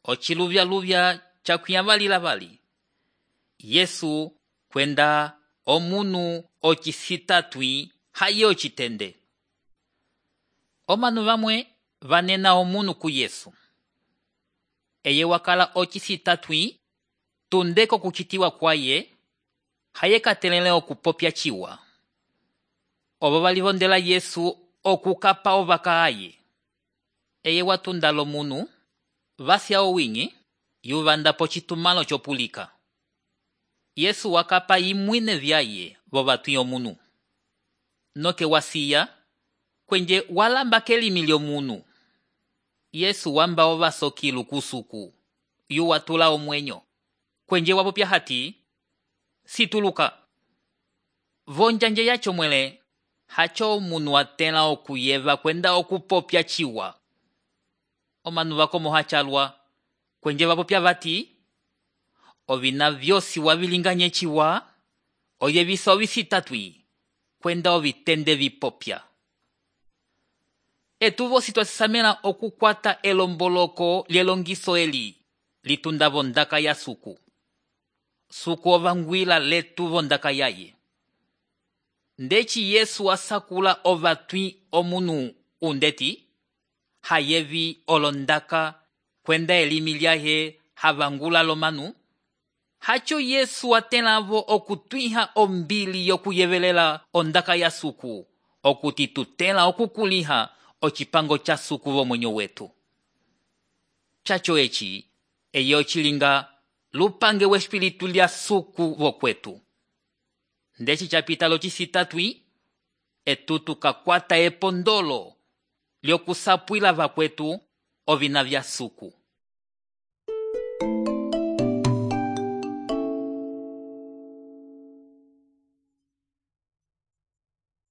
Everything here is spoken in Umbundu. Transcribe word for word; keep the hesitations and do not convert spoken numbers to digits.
ociluvya-luvya cakwĩavalila vali. Yesu kwenda omunu ocisitatwi haye ocitende. Omanu vamwe vanena omunu ku Yesu. Eye wakala ocisitatwi tundeko kucitiwa kwaye, haye katelele okupopya ciwa. Obo valivondela Yesu okukapa ovaka aye. Eye watunda lomunu, vasya owing'i, yuvanda pocitumalo copulika. Yesu wakapa imwine vyaye vovatwi omunu. Noke wasiya, kwenje walamba kelimi lyomunu. Yesu wamba ovasokilu kusuku, yuwatula omwenyo. Kwenje wapopya hati, situluka. Vonjanje yacho mwele, hacho omunu watela okuyeva kwenda okupopya ciwa. Omanu vakomo hachalwa, kwenje vapopya vati, ovina vyosi wavilinganye ciwa, oye visa ovisitatwi, kwenda ovitende vipopya. Etuvo situasisamela okukwata elomboloko lyelongiso eli, litunda vondaka ya suku. Suku ovangwila letu vondaka yaye. Ndeci Yesu asakula ovatwi omunu undeti, hayevi olondaka kwenda elimi lyahe havangula lomanu. Hacho Yesu atelavo okutwiha ombili yokuyevelela ondaka ya suku, okutitutela okukuliha ocipango cha suku vomwenyo wetu. Chacho eci, eye ocilinga lupange wespiritu lya suku vokwetu. Ndeci chapita locitatwi, etutu kakwata epondolo lyokusapwila vakwetu ovina vya suku.